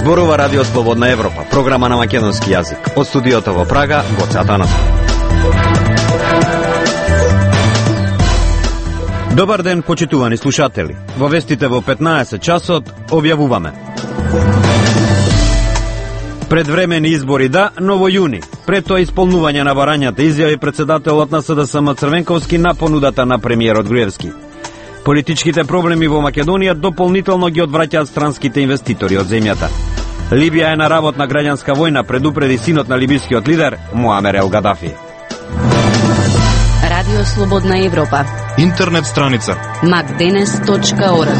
Зборува Радио Слободна Европа, програма на македонски јазик. Од студиото во Прага, Гоце Атанасов. Добар ден, почитувани слушатели. Во вестите во 15 часот објавуваме: предвремени избори да, но во јуни. Пред тоа исполнување на барањата, изјави председателот на СДСМ Црвенковски на понудата на премиерот Груевски. Политичките проблеми во Македонија дополнително ги одвраќаат странските инвеститори од земјата. Либија е на работна граѓанска војна, предупреди синот на либискиот лидер Муамер ел Гадафи. Радио Слободна Европа. Интернет страница macdenes.org.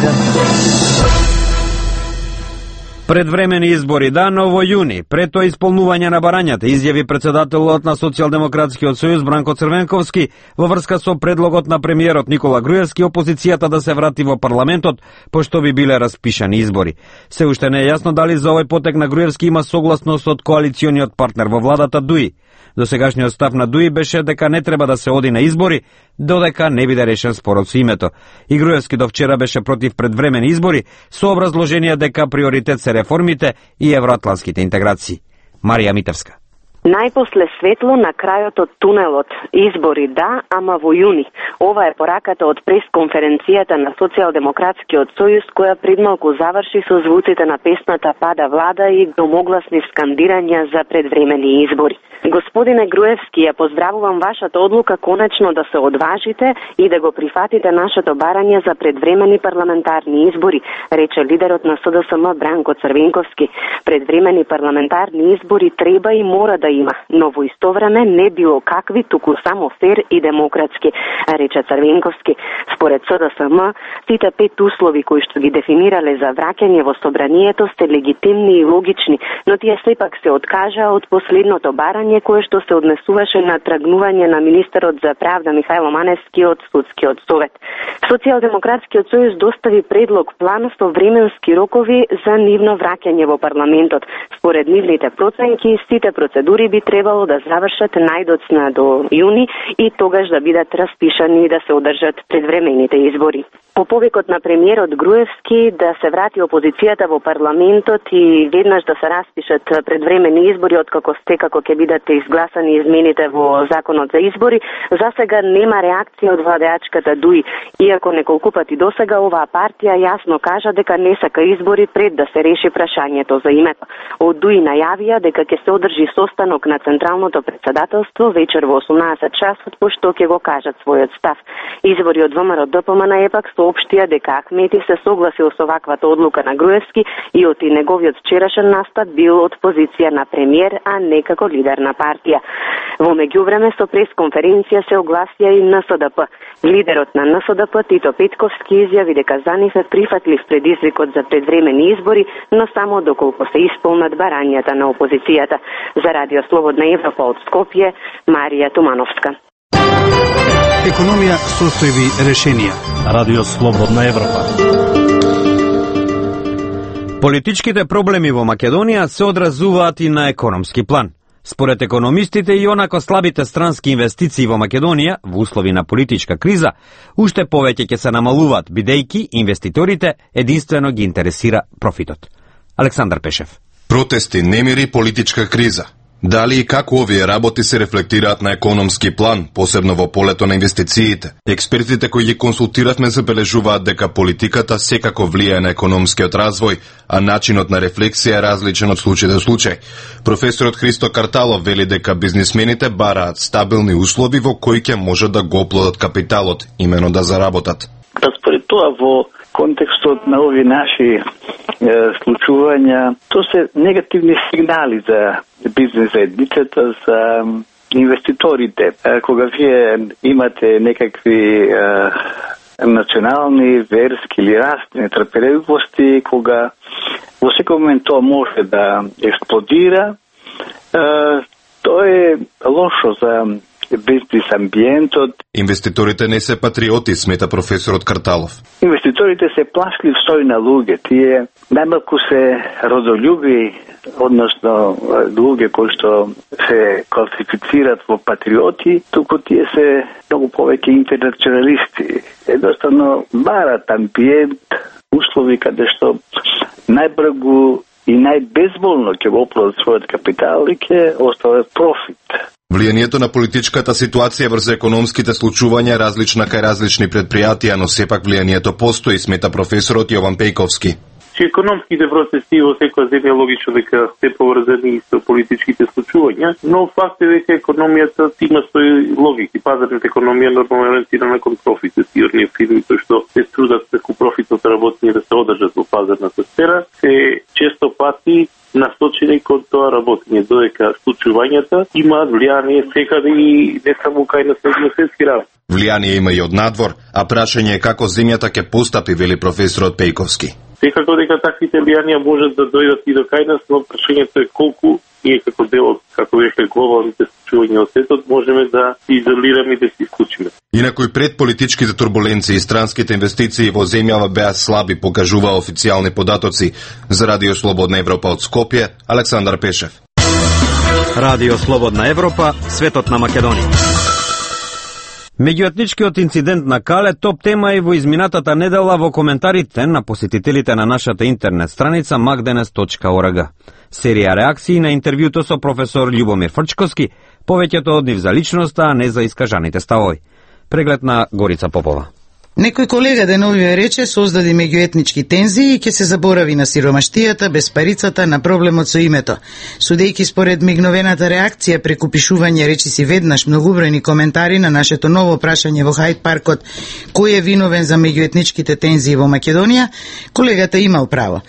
Предвремени избори да, но во јуни. Пред тоа исполнување на барањата, изјави председателот на Социјалдемократскиот сојуз Бранко Црвенковски во врска со предлогот на премиерот Никола Груевски опозицијата да се врати во парламентот, пошто би биле распишани избори. Се уште не е јасно дали за овој потек на Груевски има согласност од коалициониот партнер во владата ДУИ. Досегашниот став на ДУИ беше дека не треба да се оди на избори, додека не биде решен спорот со името. И Груевски до вчера беше против предвремени избори, со образложение дека приоритет се реформите и евроатланските интеграции. Марија Митевска. Најпосле светло на крајот од тунелот. Избори да, ама во јуни. Ова е пораката од пресконференцијата на Социјалдемократскиот сојуз, која предмалку заврши со звуците на песната Пада влада и громогласни скандирања за предвремени избори. Господине Груевски, ја поздравувам вашата одлука конечно да се одважите и да го прифатите нашето барање за предвремени парламентарни избори, рече лидерот на СДСМ Бранко Црвенковски. Предвремени парламентарни избори треба и мора да има, но во исто време не било какви, туку само фер и демократски, рече Црвенковски. Според СДСМ, сите 5 услови кои што ги дефинирале за враќање во собранието сте легитимни и логични, но тие сепак се откажаа од последното барање кое што се однесуваше на тргнување на министерот за правда Михајло Маневски од Судскиот совет. Социјалдемократскиот сојуз достави предлог план со временски рокови за нивно враќање во парламентот. Според нивните проценки, сите процедури би требало да завршат најдоцна до јуни и тогаш да бидат распишани и да се одржат предвремените избори. По повикот на премиерот Груевски да се врати опозицијата во парламентот и веднаш да се распишат предвремени избори откако секако ќе бидат изгласани измените во законот за избори, за сега нема реакција од владеачката ДУИ, иако неколку пати досега оваа партија јасно кажа дека не сака избори пред да се реши прашањето за името. Од ДУИ најавија дека ќе се одржи состанок на Централното претседателство вечер во 18 часот, пошто ќе го кажат својот став. Извори од ВМРО ДПМН епак соопштија дека Ахмети се согласил со ваквата одлука на Груевски и од и неговиот вчерашен настап бил од позиција на премиер, а не како лидер на партија. Во меѓувреме со пресконференција се огласија и НСДП. Лидерот на НСДП Тито Петковски изјави дека за нив е прифатлив предизвикот за предвремени избори, но само доколку се исполнат барањата на опозицијата. За Радио Слободна Европа од Скопје, Марија Тумановска. Економија, состојби, решенија. Радио Слободна Европа. Политичките проблеми во Македонија се одразуваат и на економски план. Според економистите и онако слабите странски инвестиции во Македонија во услови на политичка криза уште повеќе ќе се намалуваат, бидејќи инвеститорите единствено ги интересира профитот. Александар Пешев. Протести, немири, политичка криза. Дали и како овие работи се рефлектираат на економски план, посебно во полето на инвестициите? Експертите кои ги консултиравме забележуваат дека политиката секако влијае на економскиот развој, а начинот на рефлексија е различен од случај до случај. Професорот Христо Карталов вели дека бизнисмените бараат стабилни услови во кои ќе можат да го оплодат капиталот, имено да заработат. Според тоа во контекстот на овие наши случувања, тоа се негативни сигнали за бизнес заедницата, за инвеститорите. Кога вие имате некакви национални, верски или расни нетрпеливости, кога во секој момент тоа може да експлодира, тоа е лошо за бизнес амбиентот. Инвеститорите не се патриоти, смета професорот Карталов. Инвеститорите се плашливи на луѓе. Тие најмалку се родолюби, односно луѓе кои што се класифицират во патриоти, туку тие се многу повеќе интернационалисти. Едноставно барат амбиент, услови каде што најбргу и најбезболно ќе го оправат својот капитал и ќе остават профит. Влијанието на политичката ситуација врз економските случувања е различна кај различни предпријатија, но сепак влијанието постои, смета професорот Јован Пејковски. Че економските процеси во секоја земја логично дека се поврзани со политичките случувања, но факт е дека економијата има своји логики. Пазарната економија нормално ориентирана кон профит. И оние фирми кои што се трудат преку профитот работење да се одржат во пазарната сфера, се често пати насочени кон тоа работење, додека случувањата имаат влијание секаде и не само кај на светски равни. Влијание има и од надвор, а прашање е како земјата ќе постапи, вели професорот Пејковски. Секако дека таквите влијанија можат да дојдат и до кај нас, но прашањето е колку ние како дел од, како веќе глобалните случувања од светот, можеме да се изолираме и да се исклучиме. Инаку пред политичките турбуленции и странските инвестиции во земјава беа слаби, покажува официјални податоци. За Радио Слободна Европа од Скопје, Александар Пешев. Радио Слободна Европа, светот на Македонија. Меѓуетничкиот инцидент на Кале топ тема и во изминатата недела во коментарите на посетителите на нашата интернет страница magdenes.org. Серија реакции на интервјуто со професор Љубомир Фрчковски, повеќето од нив за личноста, а не за искажаните ставови. Преглед на Горица Попова. Некој колега деновиве рече создади меѓуетнички тензии и ќе се заборави на сиромаштијата, безпарицата, на проблемот со името. Судејќи според мигновената реакција преку пишување речиси веднаш многубројни коментари на нашето ново прашање во Хајд паркот кој е виновен за меѓуетничките тензии во Македонија, колегата имал право.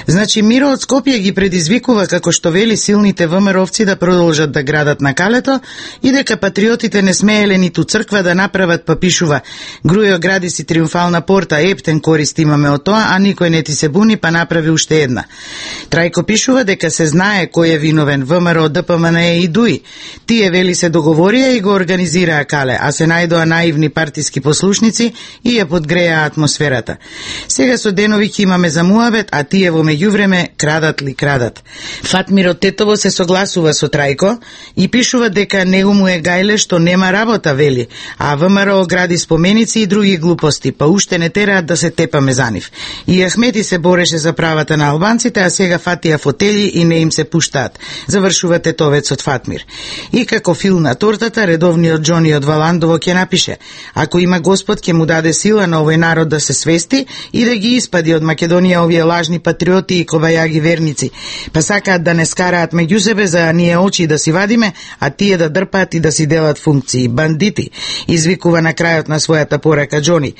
Значи Миро од Скопје ги предизвикува како што вели силните ВМРО-вци да продолжат да градат на Калето и дека патриотите не смееле ниту црква да направат, па пишува: Грујо гради си триумфална порта, ептен корист имаме од тоа, а никој не ти се буни, па направи уште една. Трајко пишува дека се знае кој е виновен, ВМРО, ДПМНЕ и ДУИ. Тие вели се договорија и го организираа Кале, а се најдоа наивни партиски послушници и ја подгреа атмосферата. Сега со денови ќе имаме за муабет, а тие во меѓувреме крадат ли крадат. Фатмиро Тетово се согласува со Трајко и пишува дека него му е гајле што нема работа, вели, а ВМРО гради споменици и други глупости, па уште не тераат да се тепаме за нив. И Ахмети се бореше за правата на албанците, а сега фатија фотели и не им се пуштаат. Завршува тетовецот Фатмир. И како фил на тортата, редовниот Џони од Валандово ќе напише: ако има Господ, ќе му даде сила на овој народ да се свести и да ги испади од Македонија овие лажни патриоти и кобајаги верници. Па сакаат да не скараат меѓу себе за ние очи да си вадиме, а тие да дрпаат и да си делат функции. Бандити, извикува на крајот на својата порака Џони.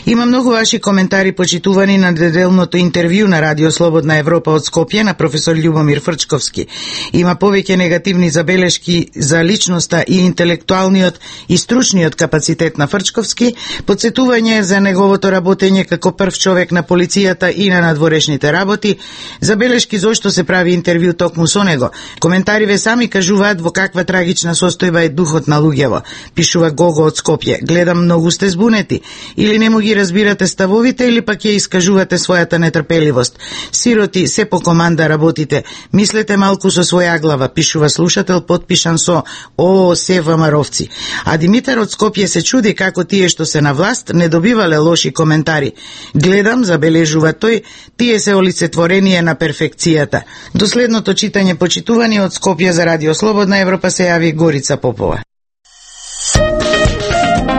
Има многу ваши коментари почитувани на неделното интервју на Радио Слободна Европа од Скопје на професор Љубомир Фрчковски. Има повеќе негативни забелешки за личноста и интелектуалниот и стручниот капацитет на Фрчковски, подсетување за неговото работење како прв човек на полицијата и на надворешните работи, забелешки зошто се прави интервју токму со него. Коментариве сами кажуваат во каква трагична состојба е духот на луѓево, пишува Гого од Скопје. Гледам многу сте збунети. Или не му ги разбирате ставовите, или пак ја искажувате својата нетрпеливост. Сироти, се по команда работите. Мислете малку со своја глава, пишува слушател подпишан со ООС ВМРО-вци. А Димитар од Скопје се чуди како тие што се на власт не добивале лоши коментари. Гледам, забележува тој, тие се олицетворение на перфекцијата. До следното читање почитувани од Скопје за Радио Слободна Европа се јави Горица Попова.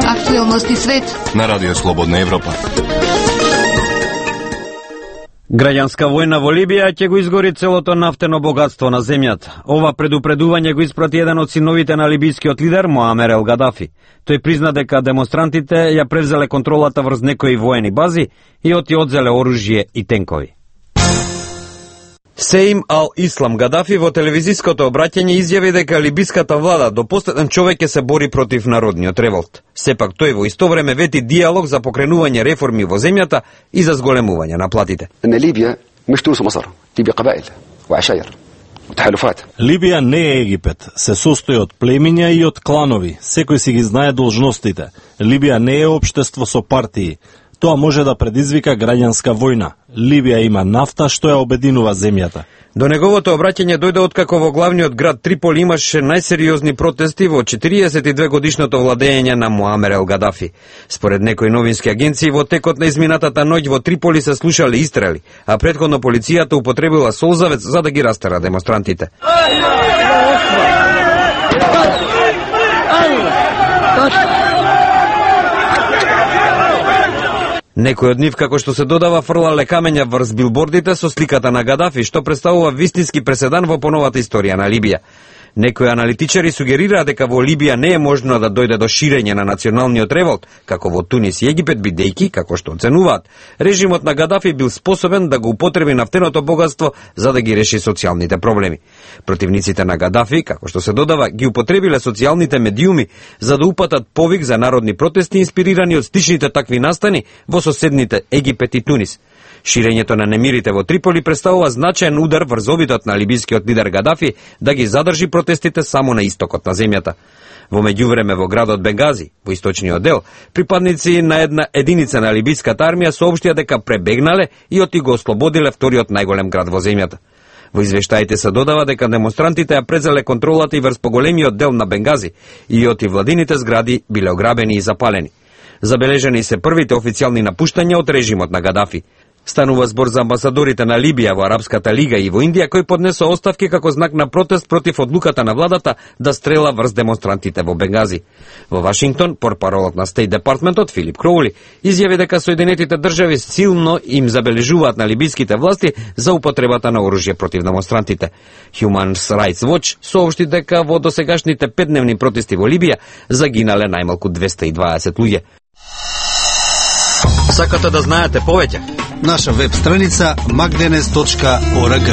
Актуелности свет на Радио Слободна Европа. Граѓанска војна во Либија ќе го изгори целото нафтено богатство на земјата. Ова предупредување го испрати еден од синовите на либискиот лидер Моамер Ел Гадафи. Тој призна дека демонстрантите ја превзеле контролата врз некои воени бази и одзеле оружје и тенкови. Сеим Ал-Ислам Гадафи во телевизиското обраќање изјави дека либиската влада до последен човек ќе се бори против народниот револт. Сепак тој во исто време вети диалог за покренување реформи во земјата и за зголемување на платите. Либија меш Тунис Масар, Либија кабаил, уашаир, утахалуфат. Либија не е Египет, се состои од племиња и од кланови, секој си ги знае должностите. Либија не е општество со партии. Тоа може да предизвика граѓанска војна. Либија има нафта што ја обединува земјата. До неговото обраќање дојде откако во главниот град Триполи имаше најсериозни протести во 42 годишното владење на Муамер ел Гадафи. Според некои новински агенции, во текот на изминатата ноќ во Триполи се слушале истрели, а претходно полицијата употребила солзавец за да ги растера демонстрантите. Некој од нив, како што се додава, фрлале камења врз билбордите со сликата на Гадафи, што представува вистински преседан во поновата историја на Либија. Некои аналитичари сугерираат дека во Либија не е можно да дојде до ширење на националниот револт, како во Тунис и Египет, бидејќи, како што оценуваат, режимот на Гадафи бил способен да го употреби нафтеното богатство за да ги реши социјалните проблеми. Противниците на Гадафи, како што се додава, ги употребиле социјалните медиуми за да упатат повик за народни протести инспирирани од стичните такви настани во соседните Египет и Тунис. Ширењето на немирите во Триполи представува значаен удар врз обидот на либискиот лидер Гадафи да ги задржи протестите само на истокот на земјата. Во меѓувреме во градот Бенгази, во источниот дел, припадници на една единица на либиската армија соопштија дека пребегнале и оти го ослободиле вториот најголем град во земјата. Во извештаите се додава дека демонстрантите ја презеле контролата и врз поголемиот дел на Бенгази и оти владините згради биле ограбени и запалени. Забележани се првите официјални напуштања од режимот на Гадафи. Станува збор за амбасадорите на Либија во Арапската лига и во Индија кои поднесо оставки како знак на протест против одлуката на владата да стрела врз демонстрантите во Бенгази. Во Вашингтон, портпаролот на Стейт департментот Филип Кроули изјави дека Соединетите држави силно им забележуваат на либиските власти за употребата на оружје против демонстрантите. Human Rights Watch соопшти дека во досегашните 5-дневни протести во Либија загинале најмалку 220 луѓе. Сакате да знаете повеќе? Наша веб страница magdenes.org.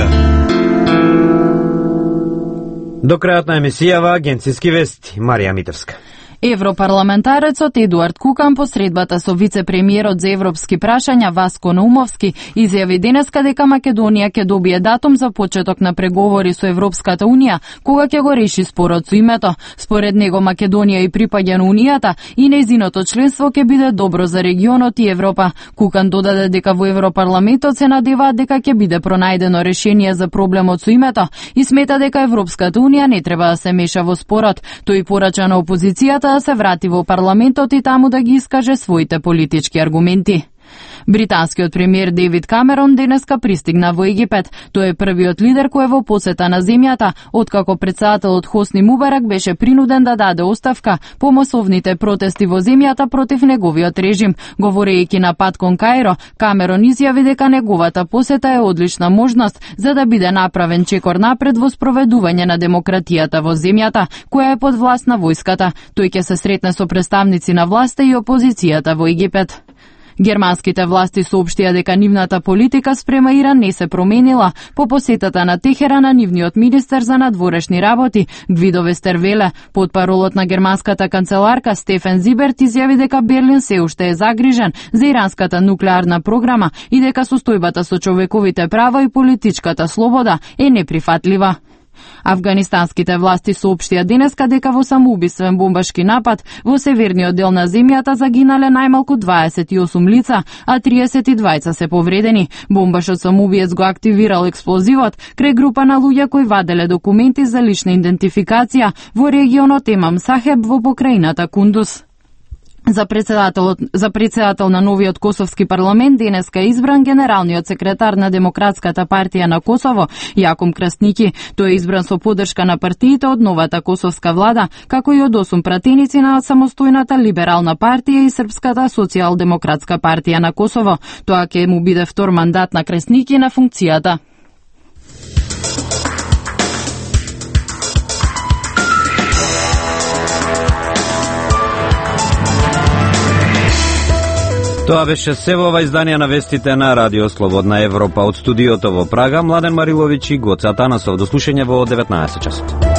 До крајот на емисијава агенцијски вести, Марија Митерска. Европарламентарецот Едуард Кукан посредбата со вице-премиерот за европски прашања Васко Наумовски изјави денеска дека Македонија ќе добие датум за почеток на преговори со Европската унија кога ќе го реши спорот со името. Според него Македонија и припаѓа на унијата и нејзиното членство ќе биде добро за регионот и Европа. Кукан додаде дека во Европарламентот се надеваат дека ќе биде пронајдено решение за проблемот со името и смета дека Европската унија не треба да се меша во спорот. Тој порача на опозицијата да се врати во парламентот и таму да ги искаже своите политички аргументи. Британскиот премиер Дейвид Камерон денеска пристигна во Египет. Тој е првиот лидер кој е во посета на земјата, откако претседателот Хосни Мубарак беше принуден да даде оставка по масовните протести во земјата против неговиот режим. Говорејќи на пат кон Каиро, Камерон изјави дека неговата посета е одлична можност за да биде направен чекор напред во спроведување на демократијата во земјата, која е под власт на војската. Тој ќе се сретне со представници на власта и опозицијата во Египет. Германските власти соопштија дека нивната политика спрема Иран не се променила по посетата на Техеран на нивниот министер за надворешни работи Гвидо Вестервеле. Потпаролот на германската канцеларка Стефан Зиберт изјави дека Берлин се уште е загрижен за иранската нуклеарна програма и дека состојбата со човековите права и политичката слобода е неприфатлива. Афганистанските власти соопштија денеска дека во самоубиствен бомбашки напад во северниот дел на земјата загинале најмалку 28 лица, а 32 се повредени. Бомбашот самоубиец го активирал експлозивот крај група на луѓе кои ваделе документи за лична идентификација во регионот Емам Сахеб во покрајината Кундус. За председател на новиот косовски парламент денеска е избран генералниот секретар на Демократската партија на Косово, Јаком Крстники. Тој е избран со поддршка на партиите од новата косовска влада, како и од 8 пратеници на самостојната либерална партија и Српската социјалдемократска партија на Косово. Тоа ќе му биде втор мандат на Крстники на функцијата. Тоа беше се во ова изданија на вестите на Радио Слободна Европа. Од студиото во Прага, Младен Мариловиќ и Гоце Атанасов. До слушање во 19 часот.